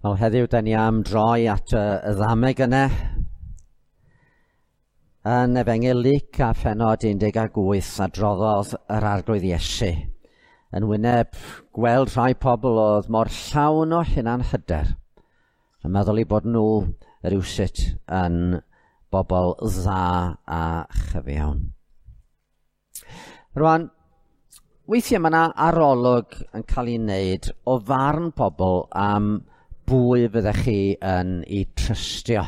Wel, heddiw, da ni am droi at y ddameg yna yn Efengyl Luc a phennod 18 adroddodd yr Arglwydd Iesu yn wyneb gweld rhai pobl oedd mor llawn o hunan hyder yn meddwl eu bod nhw rywsut yn bobl dda a chyfiawn. Rwan, weithiau mae yna arolwg yn cael ei wneud o farn pobl am bwy fyddech chi yn ei trystio.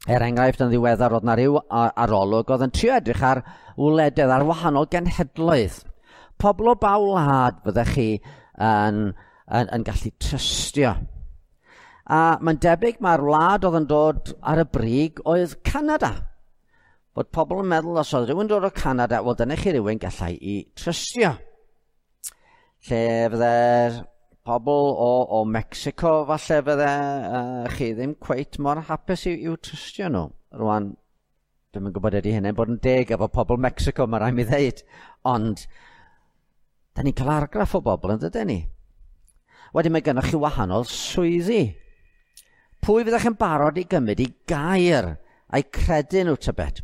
Er enghraifft, yn ddiweddar oedd na ryw arolwg oedd yn trio edrych ar wledydd, ar wahanol genhedloedd. Pobl o ba wlad fyddech chi yn gallu trystio. A mae'n debyg mae'r wlad oedd yn dod ar y brig oedd Canada. Bod pobl yn meddwl os oedd rhywun dod o Canada, wel dyna chi rhywun gallai i trystio. Lle fydde'r pobl o Mexico falle fydde chi ddim cweit mor hapus i'w trystio nhw. Rwan, dwi'm yn gwybod ydy hynny'n bod yn deg efo pobl Mexico, mae rhaid mi ddeud. Ond, da ni'n cael argraff o bobl yn dydyn ni. Wedyn mae gennych chi wahanol swyddi. Pwy fyddech chi'n barod i gymryd i gair a'i credu nhw tybed?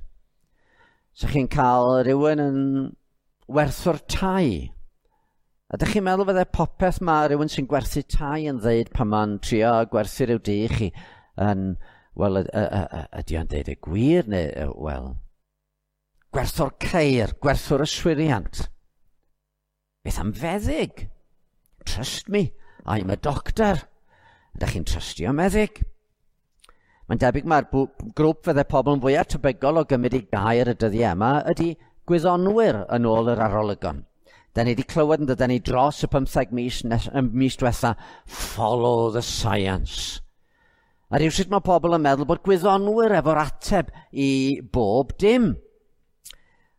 So chi'n cael rhywun yn werthwr tai. Ydych chi'n meddwl fydde popeth mae rhywun sy'n gwerthu tai yn ddeud pan mae'n trio gwerthu rhyw dŷ i chi yn, wel, ydy o'n deud y gwir neu, wel, gwerthwr ceir, gwerthwr yswiriant. Beth am feddyg? Trust me, I'm a doctor. Ydych chi'n trystio meddyg? Mae'n debyg mae'r grŵp fydde pobl yn fwyaf tebygol o gymryd i gair y dyddiau yma ydy gwyddonwyr yn ôl yr arolygon. Da ni wedi clywed yn dydyn ni dros y 15 mis, mis diwetha, follow the science. A rhywsut mae pobl yn meddwl bod gwyddonwyr efo'r ateb i bob dim.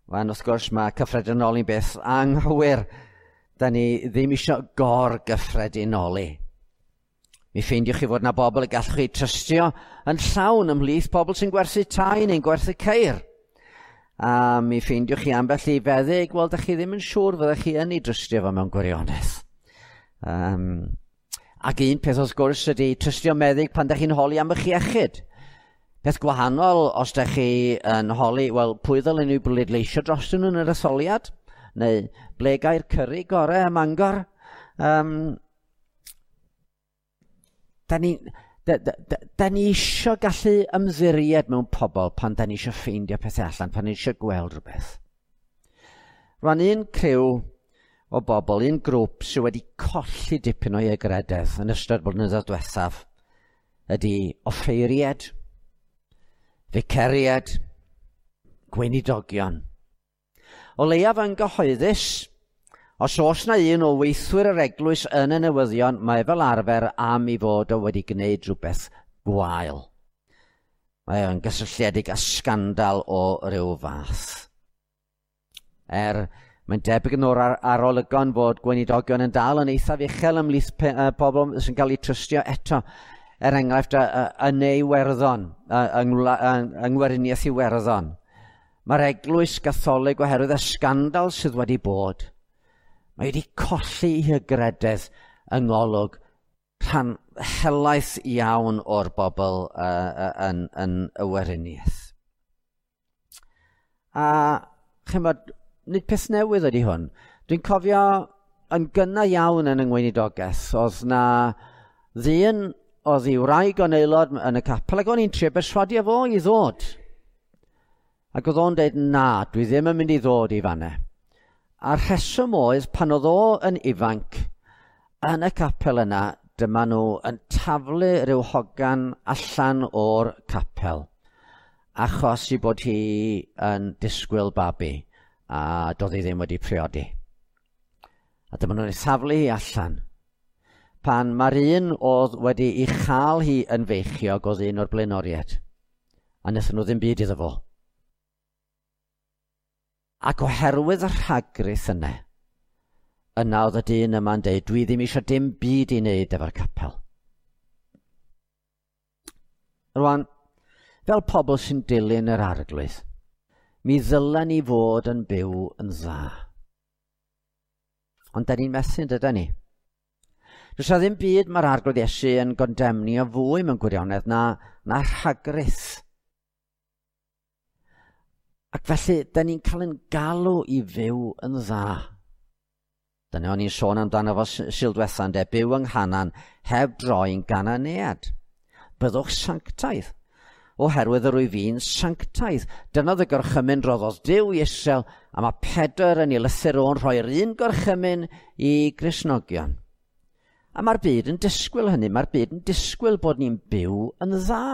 Wel, wrth gwrs, mae cyffredinoli'n beth anghywir. Da ni ddim eisiau gor-gyffredinoli. Mi ffeindiwch chi fod na bobl y gallwch chi trystio yn llawn ymhlith pobl sy'n gwerthu tai neu'n gwerthu ceir. A mi ffeindiwch chi ambell i feddyg, wel, da chi ddim yn siŵr fyddech chi yn ei drystio fo mewn gwirionedd. Ac un peth wrth gwrs ydy trystio meddyg pan da chi'n holi am eich iechyd. Peth gwahanol os da chi yn holi, wel, pwy ddylen ni bleidleisio drostyn nhw yn yr etholiad? Neu ble gai'r cyri gorau ym Mangor? Da ni isio gallu ymddiried mewn pobl pan da ni isio ffeindio pethau allan, pan ni isio gweld rhywbeth. Rwan, un criw o bobl, un grŵp sydd wedi colli dipyn o'i hygrededd yn ystod blynyddoedd diwethaf ydy offeiried, ficeried, gweinidogion. O leiaf yn gyhoeddus, os oes na un o weithwyr yr eglwys yn y newyddion, mae fel arfer am ei fod o wedi gwneud rhywbeth gwael. Mae o'n gysylltiedig â sgandal o ryw fath. Mae'n debyg yn o'r arolygon fod gweinidogion yn dal yn eithaf uchel ymhlith pobl sy'n cael eu trystio eto. Er enghraifft, yn Iwerddon, yng Ngweriniaeth Iwerddon. Mae'r eglwys Gatholig oherwydd y sgandal sydd wedi bod, mae wedi colli ei hygrededd yng ngolwg rhan helaeth iawn o'r bobl yn y Weriniaeth. A chymod, nid peth newydd ydy hwn. Dwi'n cofio yn gynnar iawn yn y ngweinidogaeth, oedd na ddyn oedd ei wraig o'n aelod yn y capel, ac o'n i'n trio berswadio fo i ddod. Ac oedd o'n dweud, na, dwi ddim yn mynd i ddod i fanna. A'r rheswm oedd, pan oedd o yn ifanc, yn y capel yna, dyma nhw yn taflu rhyw hogan allan o'r capel, achos i bod hi yn disgwyl babi, a doedd hi ddim wedi priodi. A dyma nhw'n ei thaflu hi allan. Pan mae'r un oedd wedi ei chael hi yn feichiog oedd un o'r blaenoriaid, a wnaethon nhw ddim byd iddo fo. Ac oherwydd y rhagrith yna, yna oedd y dyn yma'n deud, dwi ddim eisiau dim byd i wneud efo'r capel. Rwan, fel pobl sy'n dilyn yr Arglwydd, mi ddylen ni fod yn byw yn dda. Ond da ni'n methu, dyda ni? Does 'na ddim byd mae'r Arglwydd Iesu yn gondemnio fwy mewn gwirionedd na rhagrith. Ac felly, da ni'n cael ein galw i fyw yn dda. Dyna o'n i'n sôn amdano fo Sul diwetha, ynde, byw yng Nghanan heb droi'n Gananead. Byddwch sanctaidd, oherwydd yr wyf fi'n sanctaidd. Dyna oedd y gorchymyn roddodd Duw i Israel, a mae Pedr yn ei lythyr o'n rhoi'r un gorchymyn i Gristnogion. A mae'r byd yn disgwyl hynny, mae'r byd yn disgwyl bod ni'n byw yn dda.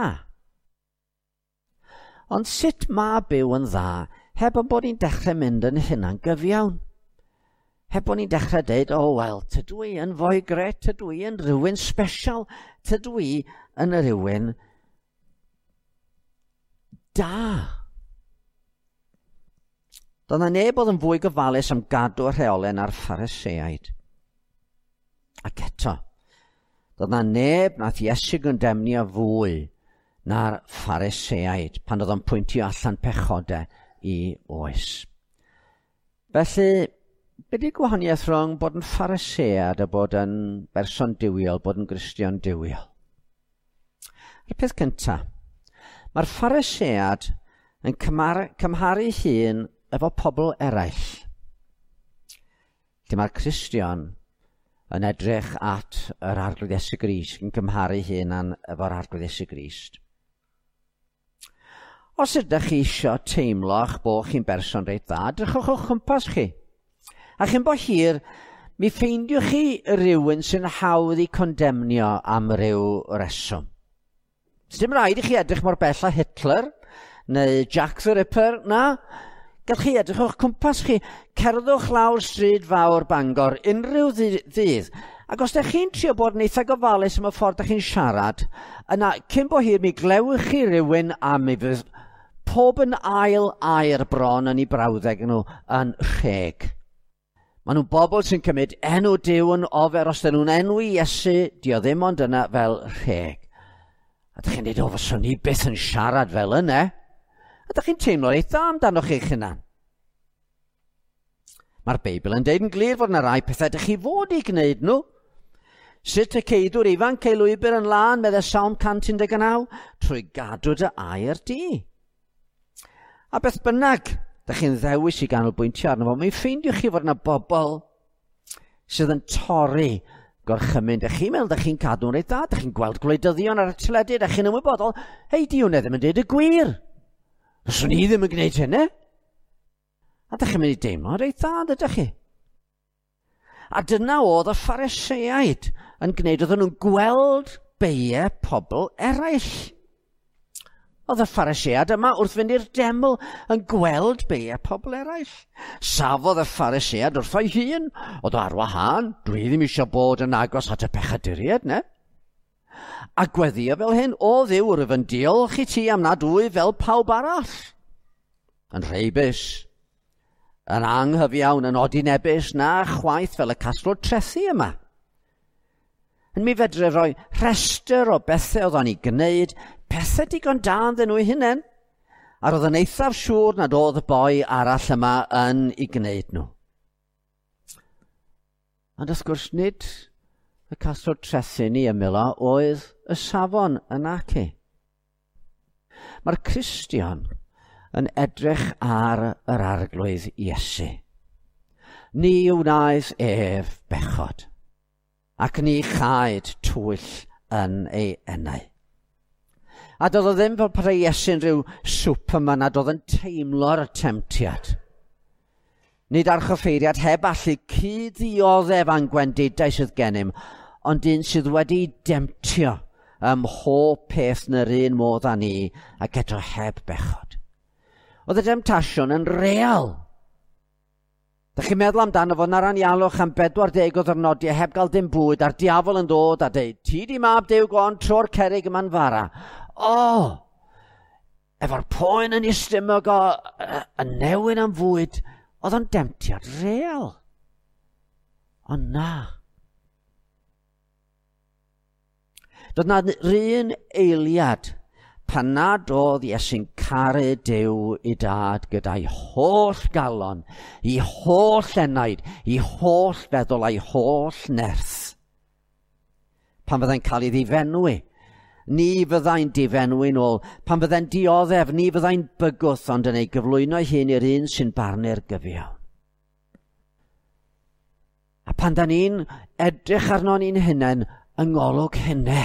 Ond sut mae byw yn dda heb yn bod ni'n dechrau mynd yn hunan gyfiawn? Heb bod ni'n dechrau deud, o oh, wel, tydw i yn foi gret, tydw i yn rhywun special, tydw i yn rhywun da. Doedd 'na neb oedd yn fwy gofalus am gadw rheolau na'r Phariseaid. Ac eto, doedd 'na neb nath Iesu gondemnio fwy na'r Phariseaid pan oedd o'n pwyntio allan pechodau i oes. Felly, be di'r gwahaniaeth rhwng bod yn Pharisead a bod yn berson duwiol, bod yn Gristion duwiol? Y peth cyntaf, mae'r Pharisead yn cymharu hun efo pobl eraill. Lle mae'r Cristion yn edrych at yr Arglwydd Iesu Grist, yn cymharu hunan efo'r Arglwydd Iesu Grist. Os ydych chi eisiau teimlo eich bod chi'n berson reit dda, drychwch o'ch cwmpas chi. A chyn bo hir, mi ffeindiwch chi rhywun sy'n hawdd i condemnio am ryw reswm. Sdim rhaid i chi edrych mor bell â Hitler neu Jack the Ripper, na. Gallwch chi edrych o'ch cwmpas chi. Cerddwch lawr stryd fawr Bangor unrhyw ddydd. Ac os ydych chi'n trio bod yn eitha gofalus am y ffordd ydych chi'n siarad, yna cyn bo hir mi glewch chi rhywun a mi fydd pob yn ail air bron yn ei brawddeg nhw yn rheg. Maen nhw'n bobl sy'n cymryd enw Duw yn ofer os dyn nhw'n enwi Iesu, dio ddim ond yna fel rheg. A dych chi'n dweud, o, fyswn ni byth yn siarad fel yna. A dych chi'n teimlo eitha amdanoch chi'ch hunan. Mae'r Beibl yn deud yn glir fod yna rai pethau dych chi fod i gwneud nhw. Sut y ceidw'r ifanc ei lwybr yn lân, meddai Salm 119, trwy gadw dy air di. A beth bynnag, dych chi'n ddewis i ganolbwyntio arno fo, mi ffeindiwch chi fod yna bobl sydd yn torri gorchymyn. Dych chi'n meddwl dych chi'n cadw'n reit dda, dych chi'n gweld gwleidyddion ar y teledu, dych chi'n ymwybodol, hei, di hwnna ddim yn deud y gwir. Fyswn i ddim yn gwneud hynny. A dych chi'n mynd i deimlo reit dda, ydych chi? A dyna oedd y Phariseaid yn gwneud, oedden nhw'n gweld beiau pobl eraill. Oedd y Pharisead yma wrth fynd i'r deml yn gweld beiau pobl eraill. Safodd y Pharisead wrtho'i hun, oedd o ar wahân, dwi ddim eisiau bod yn agos at y pechaduriaid, ne? A gweddio fel hyn, o Dduw, rwyf yn diolch i ti am nad wyf fel pawb arall. Yn rheibus, yn anghyfiawn, yn odinebus, na chwaith fel y casglwr trethi yma. Yn mi fedre roi rhestr o bethau oedd o'n ei gwneud, pethau digon da ynddyn nhw eu hunain, a roedd yn eithaf siŵr nad oedd y boi arall yma yn ei gwneud nhw. Ond wrth gwrs nid y casglwr trethi ni ymyl o oedd y safon yn aci. Mae'r Cristion yn edrych ar yr Arglwydd Iesu. Ni wnaeth ef bechod, ac ni chaed twyll yn ei enau. A doedd o ddim fel petai Iesu'n rhyw Superman a doedd yn teimlo'r temtiad. Nid archoffeiriad heb allu cyd-ddioddef a'n gwendidau sydd gennym, ond un sydd wedi demtio ym mhob peth yn yr un modd â ni, ac eto heb bechod. Oedd y demtasiwn yn real. Dych chi'n meddwl amdano fo na'r anialwch am 40 o ddwrnodiau heb gael dim bwyd, a'r diafol yn dod a deud, ti di mab Duw, go on, tro'r cerrig yma'n fara. O! Efo'r poen yn ei stumog o, y newyn am fwyd, oedd o'n demtiad real. Ond na. Doedd na un eiliad pan nad oedd Iesu'n caru Duw i dad gyda'i holl galon, i holl enaid, i holl feddwl a'i holl nerth. Pan fyddai'n cael ei ddifenwi, ni fyddai'n difenwi'n ôl. Pan fyddai'n dioddef, ni fyddai'n bygwth, ond yn ei gyflwyno ei hun i'r un sy'n barnu'r gyfiawn. A pan da ni'n edrych arno ni'n hunain yng ngolwg hynny,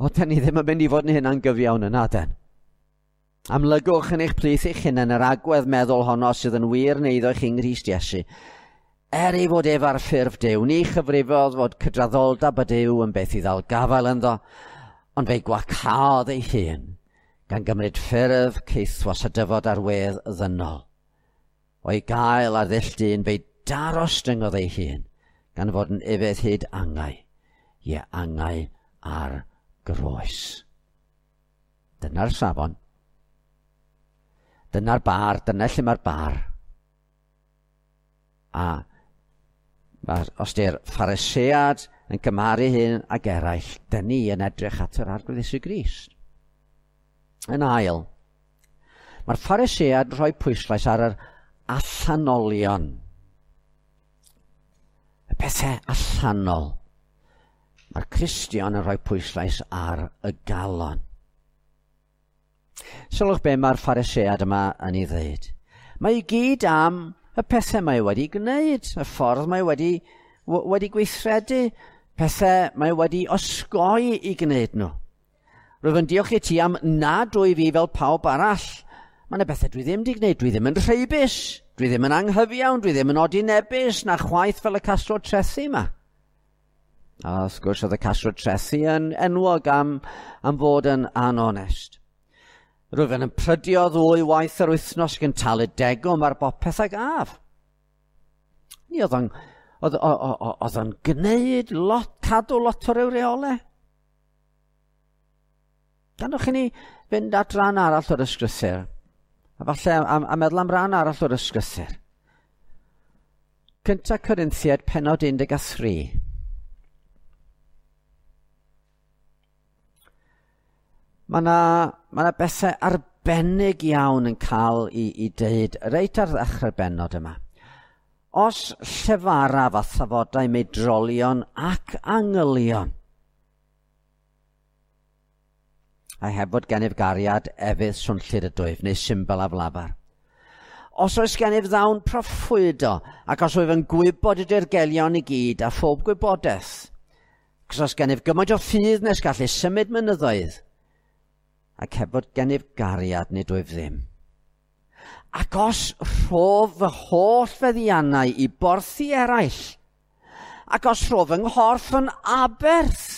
o, da ni ddim yn mynd i fod yn hynna'n gyfiawn yna, den. Amlygwch yn eich plith eich hunain yr agwedd meddwl honno sydd yn wir neu iddo chi yng Nghrist Iesu. Er ei fod ef ar ffurf Duw, ni chyfrifodd fod cydraddoldeb y Duw yn beth i ddal gafael ynddo, ond fe'i gwacaodd ei hun, gan gymryd ffurf caethwas a dyfod ar wedd ddynol. O'i gael ar ddull dyn, fe'i darostyngodd ei hun, gan fod yn ufudd hyd angau, ie angau ar groes. Dyna'r safon. Dyna'r bar, dyna lle mae'r bar. A mae'r, os di'r Pharisead yn cymharu hyn ag eraill, dyn ni yn edrych at yr Arglwydd Iesu Grist. Yn ail, mae'r Pharisead yn rhoi pwyslais ar yr allanolion. Y pethau allanol. Mae'r Cristion yn rhoi pwyslais ar y galon. Sylwch be mae'r Pharisead yma yn ei ddeud. Mae i gyd am y pethau mae wedi gwneud, y ffordd mae wedi gweithredu, pethau mae wedi osgoi i gwneud nhw. Rwyf yn diolch i ti am nad wyf fi fel pawb arall. Mae yna bethau dwi ddim wedi gwneud. Dwi ddim yn rheibus, dwi ddim yn anghyfiawn, dwi ddim yn odinebus, na chwaith fel y casglwr trethi yma. A wrth gwrs oedd y casglwr trethi yn enwog am fod yn anonest. Rwyf yn prydio ddwy waith yr wythnos ac yn talu degwm ar bopeth ag af. Ni oedd o'n gwneud lot, cadw lot o'r reolau. Gadewch i ni fynd at ran arall o'r ysgrythur. A falle a meddwl am ran arall o'r ysgrythur. 1 Corinthiaid pennod 13. Mae yna bethau arbennig iawn yn cael i deud reit ar ddechrau'r bennod yma. Os llefaraf a thafodau meidrolion ac angylion, a heb fod gennyf gariad efydd swnllyd ydwyf neu symbol aflafar. Os oes gennyf ddawn proffwydo, ac os wyf yn gwybod y dirgelion i gyd a phob gwybodaeth, ac os oes gennyf gymaint o ffydd nes gallu symud mynyddoedd, ac heb fod gennyf gariad nid wyf ddim. Ac os rhof fy holl feddiannau i borthi eraill, ac os rhof fy nghorff yn aberth,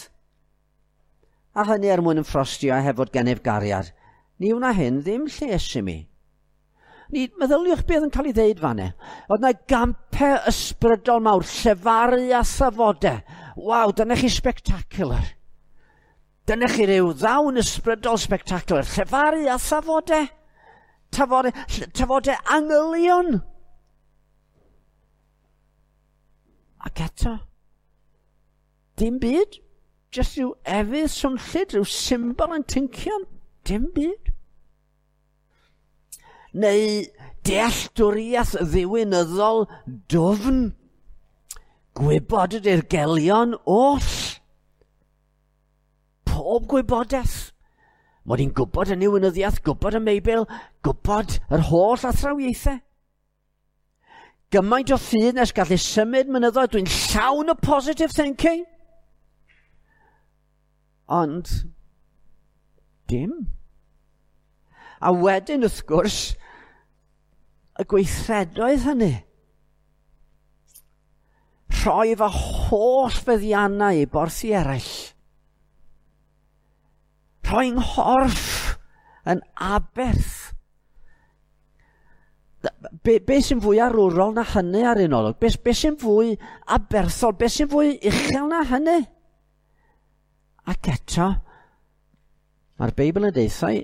a hynny er mwyn yn ffrostio a heb fod gennyf gariad, ni wna hyn ddim lles i mi. Ni meddyliwch beth yn cael ei ddeud fanne. Oedd yna gampau ysbrydol mawr, llefaru a thafodau. Waw, dyna chi spectacular. Dyna chi ryw ddawn ysbrydol spectacular. Llefaru a thafodau. Tafodau angylion. Ac eto, dim byd. Just rhyw efydd swnllyd, rhyw symbol yn tincian. Dim byd. Neu dealltwriaeth ddiwinyddol dwfn. Gwybod y dirgelion oll. Pob gwybodaeth. Mod i'n gwybod y niwinyddiaeth, gwybod y Meibl, gwybod yr holl athrawiaethau. Gymaint o ffydd nes gallu symud mynyddoedd, dwi'n llawn o positive thinking. Ond dim. A wedyn, wrth gwrs, y gweithredoedd hynny. Rhoi fy holl feddiannau i borthi eraill. Rhoi nghorff yn aberth. Be sy'n fwy arwrol na hynny ar un olwg? Be sy'n fwy aberthol? Be sy'n fwy uchel na hynny? Ac eto, mae'r Beibl yn deutha i,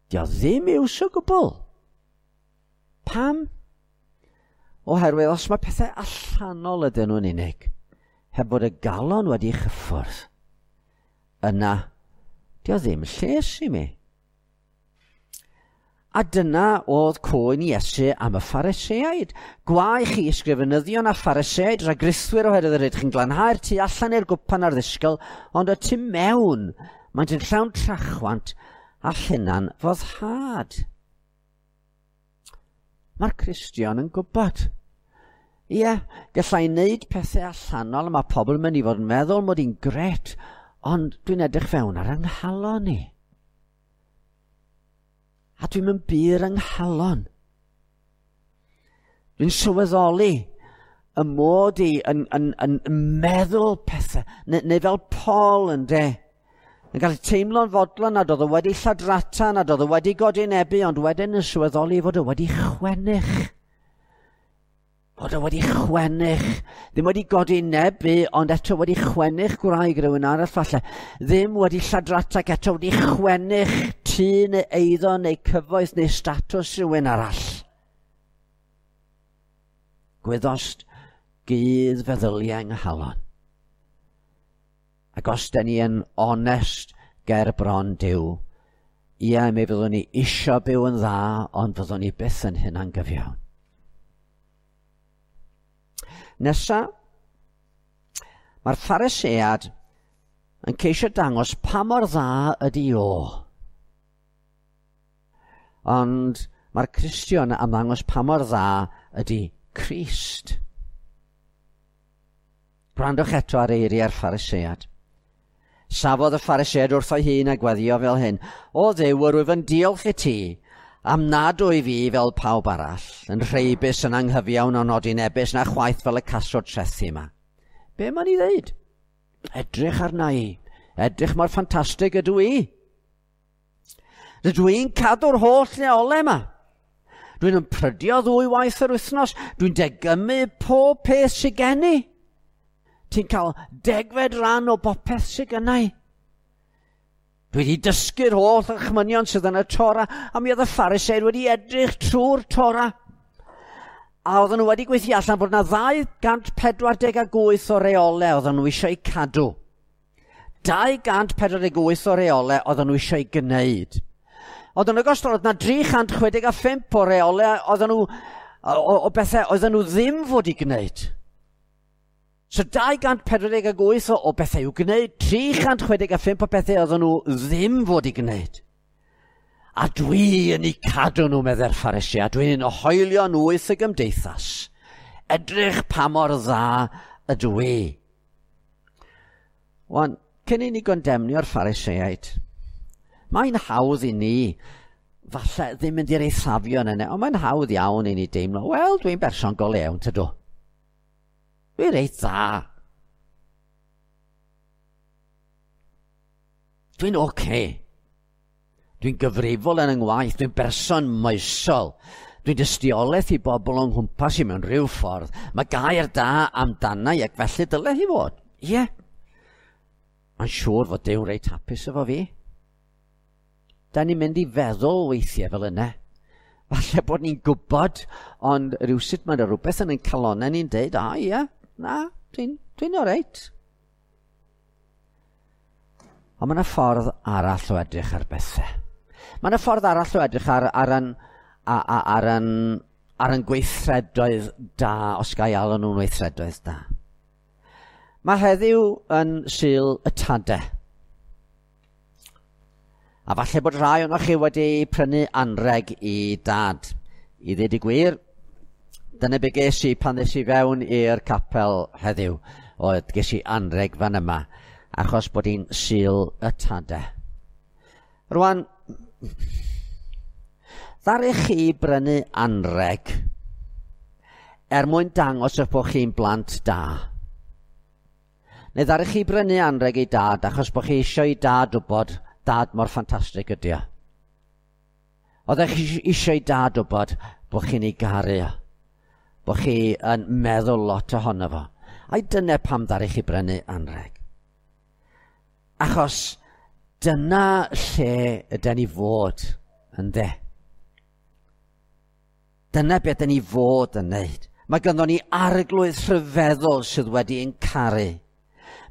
dio ddim iws o gwbl. Pam? Oherwydd os mae pethau allanol ydyn nhw'n unig, heb fod y galon wedi chyffwrdd, yna, dio ddim lles i mi. A dyna oedd cwyn Iesu am y Phariseaid. Gwae chi ysgrifenyddion a Phariseaid, rhagrithwyr, oherwydd yr ydych chi'n glanhau'r tu allan i'r gwpan a'r ddisgwyl, ond y tu mewn, maent yn llawn trachwant a hunan foddhad. Mae'r Cristion yn gwybod. Ie, gallai wneud pethau allanol a mae pobl yn mynd i fod yn meddwl mod i'n gret, ond dwi'n edrych fewn ar yng nghalon i. A dwi'n mynd bur yng nghalon. Dwi'n sylweddoli y mod i yn meddwl pethau, neu fel Paul yn de, yn gallu teimlo'n fodlon nad oedd o wedi lladrata, nad oedd o wedi godinebu, ond wedyn yn sylweddoli fod o wedi chwennych. Fod o wedi chwennych. Ddim wedi godinebu, ond eto wedi chwennych gwraig rhywun arall falle. Ddim wedi lladrata, ac eto wedi chwennych tŷ neu eiddo neu cyfoeth neu statws rhywun arall. Gwyddost gudd feddyliau yng nghalon. Ac os da ni yn onest ger bron Duw, ie, mi fyddwn ni isio byw yn dda, ond fyddwn ni byth yn hynna'n gyfiawn. Nesa, mae'r Pharisead yn ceisio dangos pa mor dda ydy o. Ond mae'r Cristion am ddangos pa mor dda ydy Crist. Gwrandwch eto ar eiriau'r Pharisead. Safodd y Pharisead wrtho'i hun a gweddio fel hyn: O Dduw, yr wyf yn diolch i ti am nad wyf fi fel pawb arall, yn rheibus, yn anghyfiawn o'n odinebus, na chwaith fel y casglwr trethi yma. Be mae'n ei ddeud? Edrych arna i. Edrych mor ffantastig ydw i. Rydw i'n cadw'r holl leolau yma. Dwi'n ymprydio 2 waith yr wythnos. Dwi'n degymu pob peth sydd gen i. Ti'n cael 10fed rhan o bopeth sydd gynna i. Dwi wedi dysgu'r holl orchmynion sydd yn y Tora, a mi oedd y Phariseaid wedi edrych trwy'r Tora. A oedden nhw wedi gweithio allan bod yna 248 o reolau oedden nhw eisiau cadw. 248 o reolau oedden nhw eisiau gwneud. Oedd yn ogystal, oedd yna 365 o reolau oedden nhw, o bethau oedden nhw ddim fod i gwneud. So 248 o bethau i'w gwneud, 365 o bethau oedden nhw ddim fod i gwneud. A dwi yn eu cadw nhw, meddai'r Pharisee, a dwi'n hoelio nhw wrth y gymdeithas. Edrych pa mor dda ydw i. Wan, cyn i ni gondemnio'r Phariseaid, mae'n hawdd i ni, falle ddim mynd i'r eithafion yna, ond mae'n hawdd iawn i ni deimlo, wel, dwi'n berson go lewn, tydw. Dwi'n reit dda. Dwi'n oce. Dwi'n gyfrifol yn 'y ngwaith, dwi'n berson moesol. Dwi'n dystiolaeth i bobl o'n nghwmpas i mewn rhyw ffordd. Mae gair da amdana i ac felly dyle hi fod. Ie. Mae'n siŵr fod Duw reit hapus efo fi. Da ni'n mynd i feddwl weithiau fel yna. Falle bod ni'n gwybod, ond rhywsut mae yna rhywbeth yn ein calonnau ni'n deud, a ie, na, dwi'n oreit. Ond mae yna ffordd arall o edrych ar bethau. Mae yna ffordd arall o edrych ar yn gweithredoedd da, os ga i alw nhw'n weithredoedd da. Mae heddiw yn Sul y Tadau. A falle bod rhai ohonoch chi wedi prynu anreg i dad. I ddweud y gwir, dyna be ges i pan ddes i fewn i'r capel heddiw. Oedd ges i anreg fan yma, achos bod hi'n Sul y Tadau. Rwan, ddaru chi brynu anreg er mwyn dangos eich bod chi'n blant da. Neu ddaru chi brynu anreg i dad achos bod chi eisiau i dad wybod dad mor ffantastig ydi o. Oeddech chi eisiau i dad wybod bod chi'n ei garu o, bod chi yn meddwl lot ohono fo. Ai dyna pam ddaru chi brynu anreg? Achos dyna lle yden ni fod, ynde? Dyna beth yden ni fod yn wneud. Mae ganddo ni arglwydd rhyfeddol sydd wedi ein caru.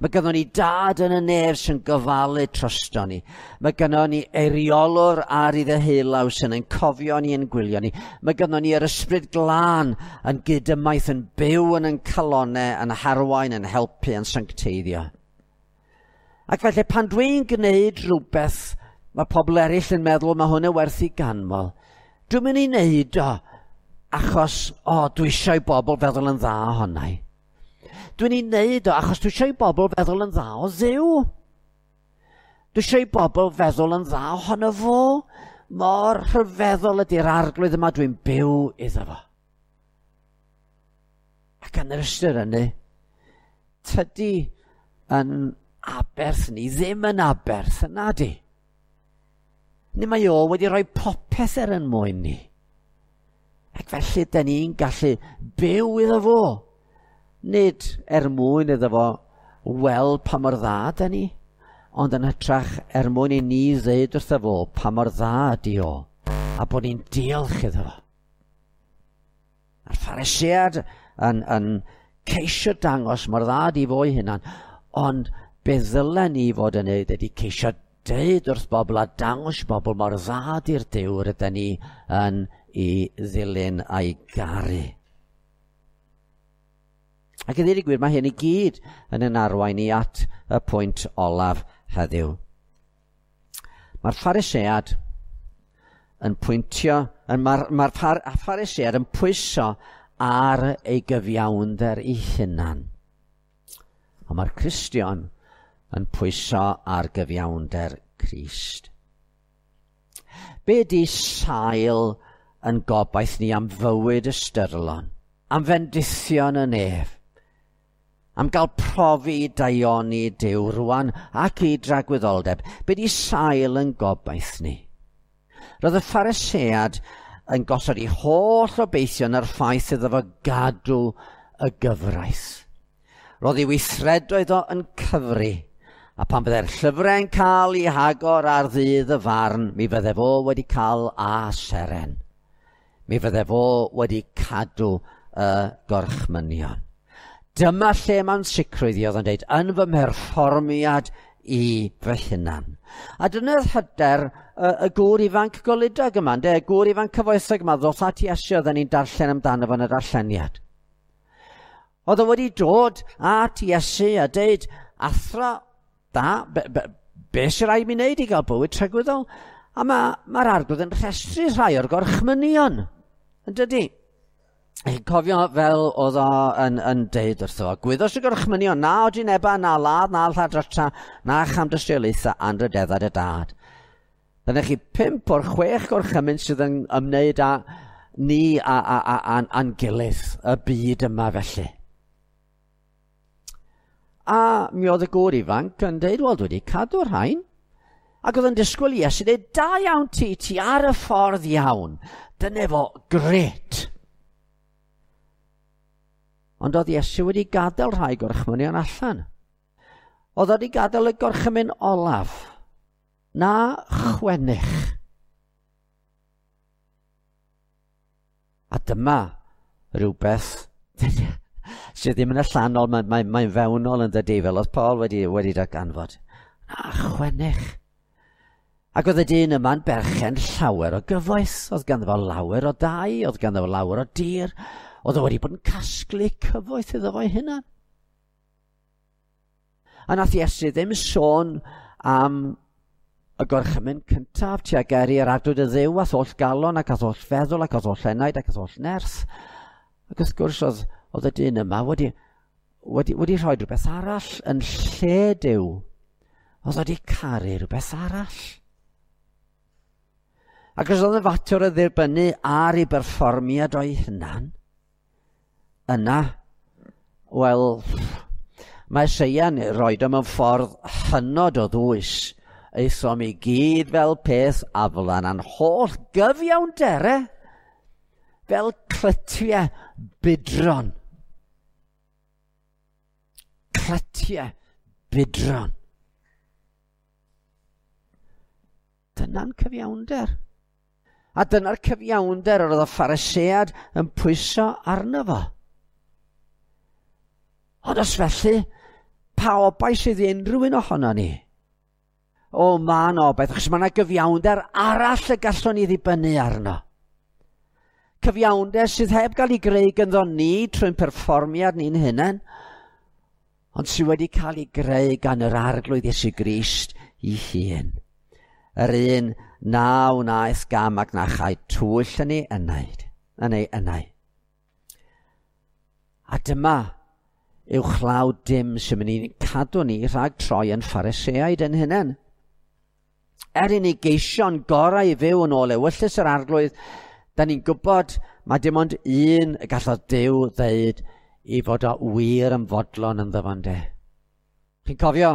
Mae gynnon ni dad yn y nef sy'n gofalu drosto ni. Mae gynnon ni eiriolwr ar ei ddeheulaw sy'n ein cofio ni yn gwylio ni. Mae gynnon ni yr ysbryd glân yn gydymaith yn byw yn ein calonau, yn harwain, yn helpu, yn sancteiddio. Ac felly pan dwi'n gwneud rhywbeth mae pobl eraill yn meddwl mae hwn yn werth i ganmol, dwi'n mynd i wneud o achos, dwi eisiau i bobl feddwl yn dda ohona i. Dwi'n ei wneud o achos dwi eisiau i bobl feddwl yn dda o Dduw. Dwi eisiau i bobl feddwl yn dda ohono fo. Mor rhyfeddol ydy'r arglwydd yma dwi'n byw iddo fo. Ac yn yr ystyr hynny, tydi yn aberth ni ddim yn aberth yna di. Ni mae o wedi rhoi popeth er yn mwyn ni. Ac felly, da ni'n gallu byw iddo fo. Nid er mwyn iddo fo weld pa mor dda da ni, ond yn hytrach er mwyn i ni ddeud wrtho fo pa mor dda ydi o, a bod ni'n diolch iddo fo. A'r Pharisead yn ceisio dangos mor dda ydi fo ei hunan, ond be ddylen ni fod yn neud ydi ceisio deud wrth bobl a dangos bobl mor dda ydi'r Duw rydyn ni yn ei ddilyn a'i garu. Ac i ddweud y gwir, mae hyn i gyd yn ein arwain ni at y pwynt olaf heddiw. Mae'r Pharisead yn pwyntio, mae'r Pharisead yn pwyso ar ei gyfiawnder ei hunan. Ond mae'r Cristion yn pwyso ar gyfiawnder Crist. Be di sail yn gobaith ni am fywyd ystyrlon, am fendithion y nef, am gael profi daioni Duw rwan ac i dragwyddoldeb? Be di sail yn gobaith ni? Roedd y Pharisead yn gosod ei holl obeithion ar ffaith iddo fo gadw y gyfraith. Roedd ei weithredoedd o yn cyfri, a pan byddai'r llyfrau'n cael ei hagor ar ddydd y farn, mi fydde fo wedi cael a seren. Mi fydde fo wedi cadw y gorchmynion. Dyma lle mae'n sicrwydd i oedd yn dweud, yn fy mherfformiad i fy hunan. A dyna'r hyder y gŵr ifanc goludog yma, ynde? Y gŵr ifanc cyfoethog yma, ddoth at Iesu oedden ni'n darllen amdano fo yn y darlleniad. Oedd o wedi dod at Iesu a deud, athro, da, be sy'n rhaid mi wneud i gael bywyd tragwyddol? A mae'r arglwydd yn rhestru rhai o'r gorchmynion, yn dydi? Chi'n cofio fel oedd o yn deud wrtho fo, gwyddos y gorchmynion, na odineba, na ladd, na lladrata, na chamdystiolaetha, anrhydeddau dy dad. Dyna chi 5 o'r 6 gorchymyn sydd yn ymwneud â ni a'n gilydd, y byd yma felly. A mi oedd y gŵr ifanc yn deud, wel, dwi wedi cadw'r rhain. Ac oedd yn disgwyl i Iesu dweud, da iawn ti ar y ffordd iawn. Dyna fo, gret. Ond oedd Iesu wedi gadael rhai gorchmynion allan. Oedd wedi gadael y gorchymyn olaf, na chwennych. A dyma rhywbeth sydd ddim yn allanol, mae'n fewnol yn dydi, fel oedd Paul wedi darganfod. Na chwennych. Ac oedd y dyn yma'n berchen llawer o gyfoeth. Oedd ganddo fo lawer o dai, oedd ganddo fo lawer o dir. Oedd o wedi bod yn casglu cyfoeth iddo fo'i hunan. A nath Iesu ddim sôn am y gorchymyn cyntaf tuag er i'r arglwydd y Dduw a'th holl galon ac a'th holl feddwl ac a'th holl enaid ac a'th holl nerth. Ac wrth gwrs oedd y dyn yma wedi rhoi rhywbeth arall yn lle Duw. Oedd wedi caru rhywbeth arall. Ac os oedd y fater o ddirbynnu ar ei berfformiad o'i hunan, yna, wel, mae Eseia'n rhoi o mewn ffordd hynod o ddwys. Aethom i gyd fel peth aflan a'n holl gyfiawndere, fel clytiau budron. Clytiau budron. Dyna'n cyfiawnder. A dyna'r cyfiawnder yr oedd y Pharisead yn pwyso arno fo. Ond os felly, pa obaith sydd i unrhyw un ohono ni? O, mae yna obaith, achos mae yna gyfiawnder arall y gallwn ni ddibynnu arno. Cyfiawnder sydd heb gael ei greu gynddo ni trwy'n perfformiad ni'n hunain, ond sydd wedi cael ei greu gan yr Arglwydd Iesu Grist ei hun. Yr un na wnaeth gam ac na chai twyll yn ei enaid, yn ei enau. A dyma uwchlaw dim sy'n mynd i'n cadw ni rhag troi yn Phariseaid yn hunain. Er i ni geisio'n gorau i fyw yn ôl ewyllys yr Arglwydd, da ni'n gwybod mae dim ond un y gallodd Duw ddeud i fod o wir yn fodlon ynddo fo, ynde. Chi'n cofio,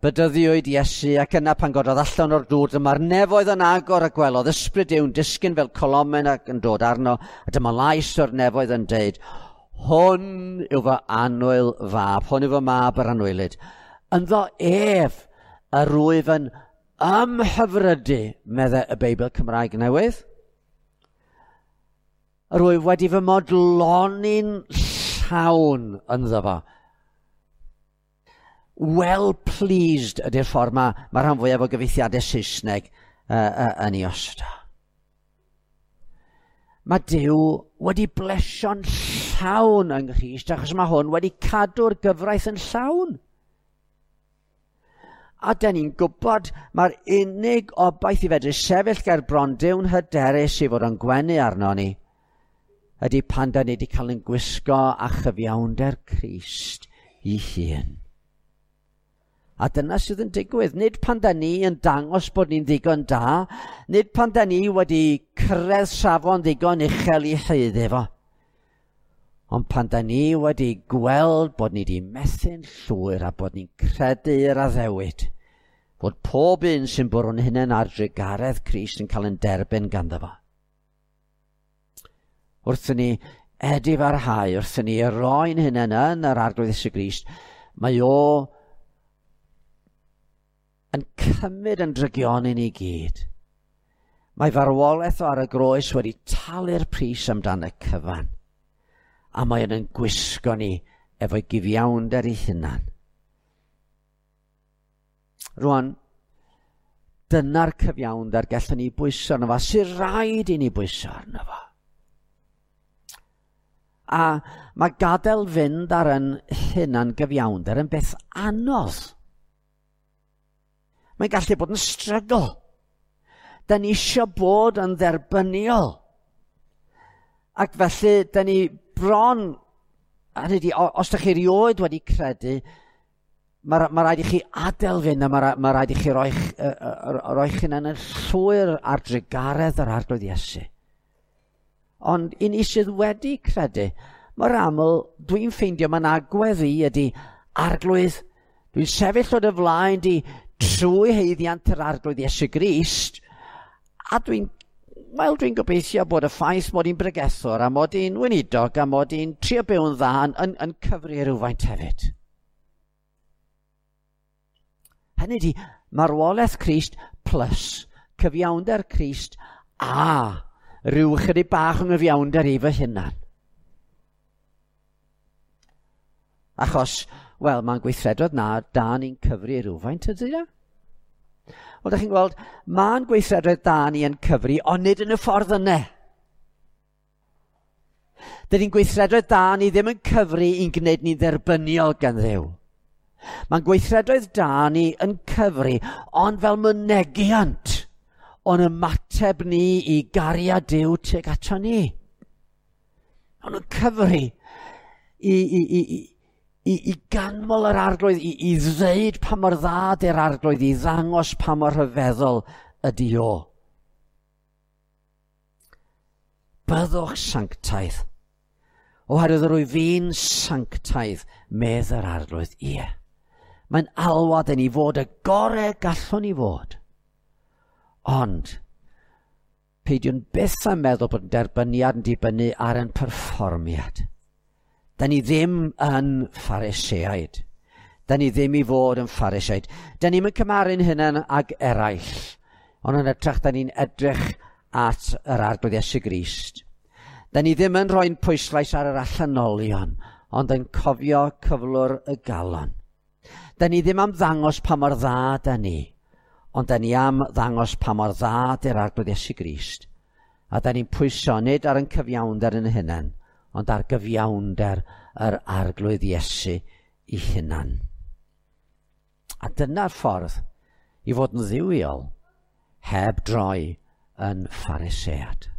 bedyddiwyd Iesu ac yna pan gododd allan o'r dŵr, dyma'r nefoedd yn agor a gwelodd ysbryd Duw'n disgyn fel colomen ac yn dod arno, a dyma lais o'r nefoedd yn deud, hwn yw fy annwyl fab, hwn yw fy mab yr anwylyd. Ynddo ef yr wyf yn ymhyfrydu, meddai y Beibl Cymraeg Newydd. Yr wyf wedi fy modloni'n llawn ynddo fo. Well pleased ydy'r ffordd mae rhan fwyaf o gyfieithiadau Saesneg yn ei osod. Mae Duw wedi blesio'n llawn yng Nghrist, achos mae hwn wedi cadw'r gyfraith yn llawn. A da ni'n gwybod mae'r unig obaith i fedru sefyll ger bron Duw'n hyderus i fod yn gwenu arno ni, ydy pan da ni wedi cael ein gwisgo â chyfiawnder Crist ei hun. A dyna sydd yn digwydd. Nid pan da ni yn dangos bod ni'n ddigon da, nid pan da ni wedi cyrraedd safon ddigon uchel i haeddu fo, ond pan da ni wedi gweld bod ni wedi methu'n llwyr a bod ni'n credu yr addewid, bod pob un sy'n bwrw'n hunain ar drugaredd Crist yn cael yn derbyn ganddo fo. Wrth i ni edifarhau, wrth i ni roi'n hunain yn yr Arglwydd Iesu Grist, mae o yn cymryd yn drygioni ni gyd. Mae farwolaeth o ar y groes wedi talu'r pris amdan y cyfan. A mae yn gwisgo ni efo'i gyfiawnder ei hunan. Rwan, dyna'r cyfiawnder gallwn ni bwyso arno fo, sy'n rhaid i ni bwyso arno fo. A mae gadael fynd ar yn hunan gyfiawnder yn beth anodd. Mae'n gallu bod yn struggle. Da ni eisiau bod yn dderbyniol. Ac felly, da ni bron, hynny ydi, os da chi erioed wedi credu, mae rhaid i chi adael fynd a mae rhaid i chi roi'ch hunan yn llwyr ar drugaredd yr Arglwydd Iesu. Ond i ni sydd wedi credu, mae'r aml, dwi'n ffeindio mae'n agwedd i ydy, Arglwydd, dwi'n sefyll o dy flaen di trwy haeddiant yr Arglwydd Iesu Grist, a dwi'n gobeithio bod y ffaith mod i'n bregethwr a mod i'n weinidog a mod i'n trio byw'n dda yn cyfri rhywfaint hefyd. Hynny ydi, marwolaeth Crist plus cyfiawnder Crist a rhyw chydig bach o gyfiawnder i fy hunan. Achos, wel, mae'n gweithredoedd na, da ni'n cyfri rhywfaint ydy e? Wel, da chi'n gweld, mae'n gweithredoedd da ni yn cyfri, ond nid yn y ffordd yna. Dydy'n gweithredoedd da ni ddim yn cyfri i'n gwneud ni'n dderbyniol gan Dduw. Mae'n gweithredoedd da ni yn cyfri, ond fel mynegiant o'n ymateb ni i gariad Duw tuag ato ni. Ond yn cyfri i ganmol yr Arglwydd, i ddeud pa mor dda ydy'r Arglwydd, i ddangos pa mor rhyfeddol ydy o. Byddwch sanctaidd, oherwydd rwyf fi'n sanctaidd, medd yr Arglwydd. Ie, mae'n alwad i ni fod y gorau gallwn ni fod. Ond, peidiwn byth â meddwl bod yn derbyniad yn dibynnu ar ein perfformiad. Da ni ddim yn Phariseaid. Da ni ddim i fod yn Phariseaid. Da ni'm yn cymharu'n hunain ag eraill, ond yn hytrach da ni'n edrych at yr Arglwydd Iesu Grist. Da ni ddim yn rhoi'n pwyslais ar yr allanolion, ond yn cofio cyflwr y galon. Da ni ddim am ddangos pa mor dda da ni, ond da ni am ddangos pa mor dda di'r Arglwydd Iesu Grist. A da ni'n pwyso nid ar ein cyfiawnder yn hunain, ond ar gyfiawnder yr Arglwydd Iesu i hunan. A dyna'r ffordd i fod yn dduwiol heb droi yn Pharisead.